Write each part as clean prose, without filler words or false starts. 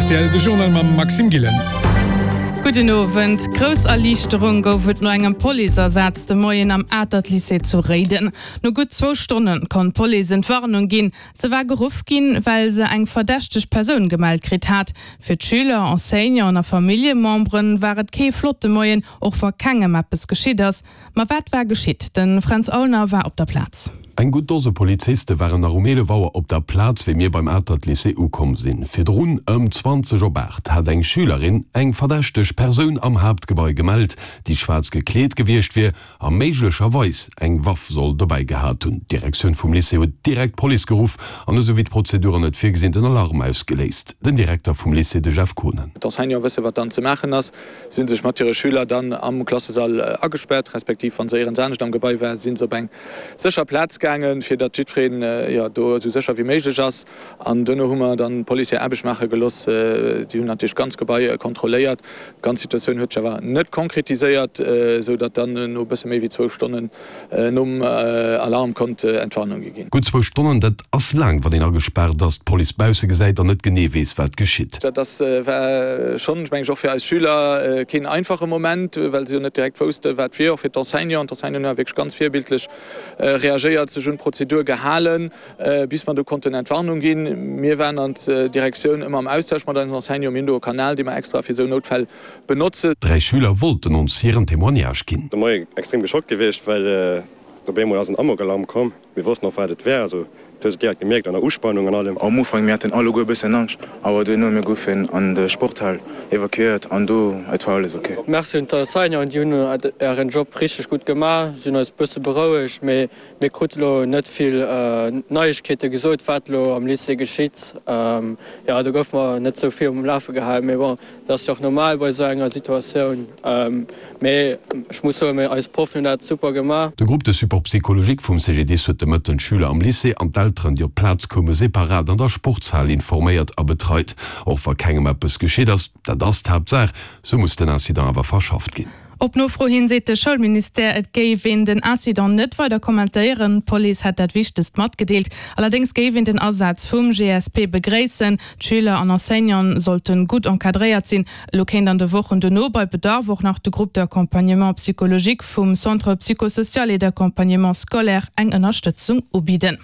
rtl, de Journal mam Maxime Gillen. Gudden Owend. Grouss Erliichterung gouf et no engem Policeasaz de Moien am Atert Lycée zu Réiden. No gutt zwou Stonne konnt d'Police Entwarnung ginn. Se war geruff ginn, well se eng verdächteg Persoun gemellt kritt hat. Fir d'Schüler, Enseignanten a Familljemembere war et kee flotte Moien, och wa kengem eppes geschitt ass. Ma wat war geschitt? De Fränz Aulner war op der Plaz. Eng gutt Dose Poliziste waren nach um 11 Auer op der Plaz, wéi mir beim Atert Lycée ukomm sinn. Virdrun, ëm 20 op 8, hat eng Schülerin eng verdächteg Persoun am Haaptgebai gemellt, déi schwaarz gekleet gewiescht wier a méiglecherweis eng Waff soll dobäi gehat hunn. D'Direktioun vum Lycée huet direkt d'Police geruff an esou wéi d'Prozeduren et virgesinn den Alarm ausgeléist. Den Direkter vum Lycée, de Jeff Kohnen. D'Enseignante wësse wat dann ze maachen ass. Si hunn sech mat hire Schüler dann am Klassesall agespaart, respektiv wann se éierens anescht am Gebai war, si se op eng sécher Plaz gaangen, fir datt jiddwereen, jo, do esou sécher wéi méiglech ass. An duerno hu mer dann d'Police hir Aarbecht maache gelooss. Déi hunn natierlech d'ganz Gebai kontrolléiert. D'ganz Situatioun huet sech awer net konkretiséiert, esou datt dann no e bësse méi wéi zwou Stonnen nom Alarm konnt Entwarnung gi ginn. Gutt zwou Stonnen, dat ass laang, wann een agespaart ass, d'Police bausse gesäit an net genee weess, wat geschitt. Dat ass, war schonn, meng ech, och fir eis Schüler keen einfache Moment, well se jo net direkt wousste wat wier. Och fir d'Enseignanten. D'Enseignanten hu wierklech ganz virbildlech reagéiert, sech un d'Prozedur gehalen, bis mer do konnten Entwarnung ginn. Mir waren als Direktioun ëmmer am Austausch mat eisen Enseignanten. Mir hunn do e Kanal, dee mer extra fir esou Noutfäll benotzen. Dräi Schüler wollten ons hiren Témoignage ginn. De Moie extrem geschockt gewiescht, well op eemol ass en Amokalarm komm. Mir wossten och wat et war, also du hues et direkt gemierkt an der Uspannung an allem. Am Ufank mir haten alleguer e bëssen Angscht, awer duerno mir goufen an de Sporthal evakuéiert an do et war alles ok. Merci un d'Enseignanten, déi hunn ären Job richteg gutt gemaach, si hunn eis bësse berouegt, mee mir krute lo net vill Neiegkeete gesot wat lo am Lycée geschitt. Jo do goufe mer net sou vill um Lafe gehalen, mee bon. Dat ass jo och normal bei esou enger Situatioun. Mee ech muss soen, eis Proffen hunn dat super gemaach. De Groupe de support psychologique vum CGDIS huet de Mëtten d'Schüler am Lycée an d'Elteren, déi op d'Plaz koume, separat an der Sportshal informéiert a betreit. Och wa kengem eppes geschitt ass, dat ass d'Haaptsaach, sou muss den Incident awer verschafft ginn. Op Nofro hin seet de Schoulministère, et géif een den Incident net weider kommentéieren. D'Police hätt dat Wichtegst matgedeelt. Allerdéngs géif een den Asaz vum GSP begréissen. D'Schüler an Enseignanten sollte gutt encadréiert sinn. Elo kéint an de Wochen dono bei Bedarf och nach de Groupe d'accompagnement psychologique vum Centre psychosocial et d'accompagnement scolaire eng Ënnerstëtzung ubidden.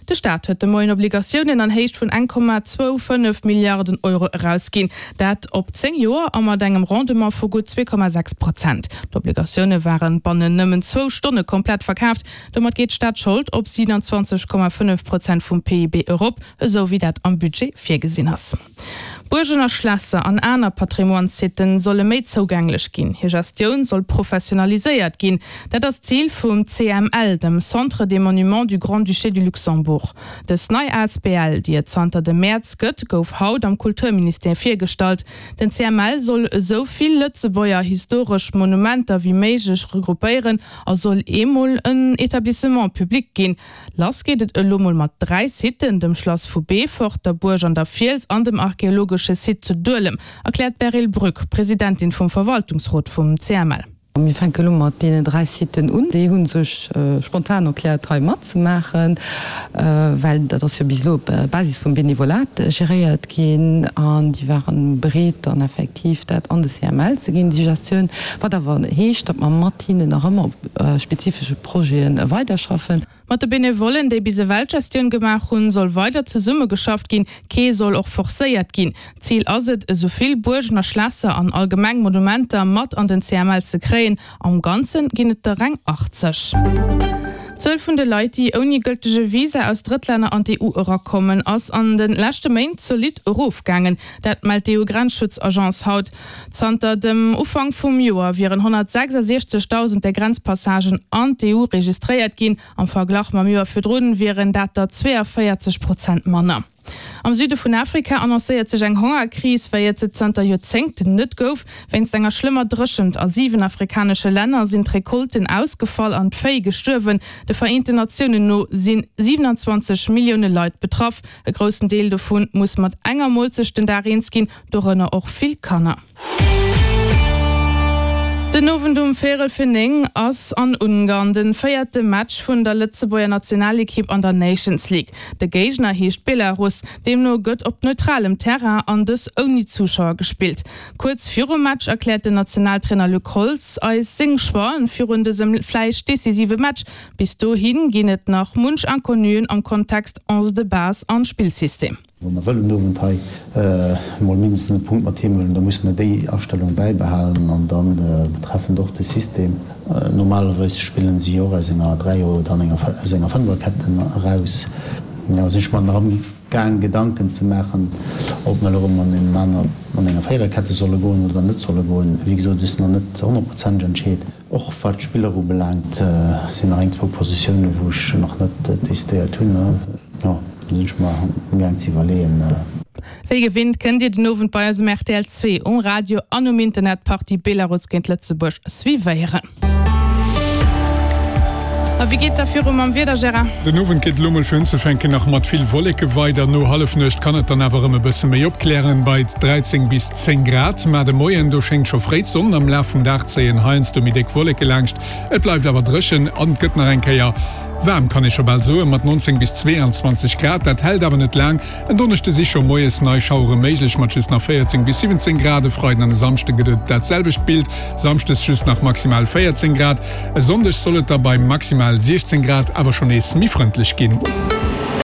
De Staat huet de Moien Obligatiounen an Héicht vun 1,25 Milliarden Euro erausginn. Dat op 10 Joer a mat engem Rendement vu gutt 2,6 Prozent. D'Obligatioune ware bannen nëmmen zwou Stonne komplett verkaaft. Domat geet d'Staatsschold op 27,5 Prozent vum PIB erop, esou wéi dat am Budget virgesinn ass. Buergen a Schlässer an aner Patrimoine-Sitten solle méi zougänglech ginn. Hir Gestioun soll professionaliséiert ginn. Dat ass d'Zil vum CML, dem Centre des Monuments du Grand-Duché du Luxembourg. Dës nei asbl, déi et zanter dem Mäerz gëtt, gouf haut am Kulturministère virgestallt. Den CML soll esou vill Lëtzebuerger historesch Monumenter wéi méiglech regroupéieren a soll eemol en Etablissement public ginn. Lass geet et elo mol mat 3 Siten, dem Schlass vu Beefort, der Buerg an der Fiels an dem archeologesche Site zu Duelem, erkläert d'Beryl Brück, Presidentin vum Verwaltungsrot vum CML. Mir fänke elo mat deenen 3 Siten un. Déi hu sech spontan erkläert hei matzemaachen, well dat ass jo bis elo op Basis vum Benevolat geréiert ginn an déi ware bereet dann effektiv dat an de CML ze ginn, déi Gestioun. Wat awer heescht, datt mer mat hinnen nach ëmmer op spezifesche Projete weiderschaffen. Mat de Benevollen, déi bis ewell d'Gestioun gemaach hunn, soll weider zesummegeschafft ginn. Kee soll och forcéiert ginn. Zil ass et, esou vill Buergen a Schlässer an allgemeng Monumenter mat an den CML ze kréien. Am Ganze ginn et der reng 80. D'Zuel vun de Leit, déi ouni gëltege Visa aus Drëttlänner an d'EU erakommen, ass an de leschte Méint zolidd erofgaangen. Dat mellt d'EU-Grenzschutzagence haut. Zanter dem Ufank vum Joer wieren 166.000 där Grenzpassagen an d'EU registréiert ginn. Am Verglach mam Joer virdrun wieren dat der 42 Prozent manner. Am Süde vun Afrika annoncéiert sech eng Hongerkris, wéi et se zanter Joerzéngten net gouf. Wéinst enger schlëmmer Dréchent a 7 afrikanesche Länner sinn d'Recolten ausgefall an d'Véi gestuerwen. De Vereenten Natiounen no si 27 Millioune Leit betraff. E groussen Deel dovu muss mat enger Molzecht den Dag eens ginn. Dorënner och vill Kanner. Den Owend um véierel fir 9 ass an Ungarn den véierte Match vun der Lëtzebuerger Nationalekipp an der Nations League. De Géigner heescht Belarus, deemno gëtt op neutralem Terrain an dës ouni Zuschauer gespillt. Kuerz virum Match erkläert den Nationaltrainer Luc Holtz eis seng Choixen virun dësem vläicht decisive Match. Bis dohi ginn et nach munch Inconnuen am Kontext Onze de base an Spillsystem. Wa mer wëllen den Owend hei emol mindestens e Punkt mat heem huelen, da musse mer déi Astellung bäibehalen. An da betreffend och de System, normalerweis spillen si och aus enger Dräier oder aus enger Fënferketten eraus. Jo, sinn ech mer nach amgaang Gedanken ze maachen, ob mer elo erëm an engem aner, an enger Véiererkette solle goen oder net solle goen. Wéi gesot, et ass nach net honnertprozenteg entscheet. Och wat d'Spiller ubelaangt, sinn nach eng, zwou Positiounen, wou ech nach net decidéiert hunn. Jo, do sinn ech mer amgaang ze iwwerleeën. Wéi gewinnt kënnt Dir den Owend bei eis um rtl 2, um Radio an um Internet d'Partie Belarus géint Lëtzebuerg suivéieren. A wéi geet da viru mam Wieder, Gérard? Den Owend geet elo mol fir unzefänken nach mat vill Wolleke weider. No Hallefnuecht kann et dann awer erëm e bësse méi opklären, bei 13 bis 10 Grad. Ma de Moien, do schéngt scho fréi d'Sonn, am Laf vum Dag zéien heiansdo méi déck Wolleke laanscht. Et bleift awer dréchen an et gëtt nach eng Kéier waarm, kann ee scho bal soen, mat 19 bis 22 Grad. Dat hält awer net laang. En Donneschde si scho moies nei Schauere méiglech mat just nach 14 bis 17 Grad. E Freiden an e Samschde gëtt et dat selwecht Bild, Samschdes just nach maximal 14 Grad. E Sonndeg soll et da bei maximal 16 Grad awer scho nees méi frëndlech ginn.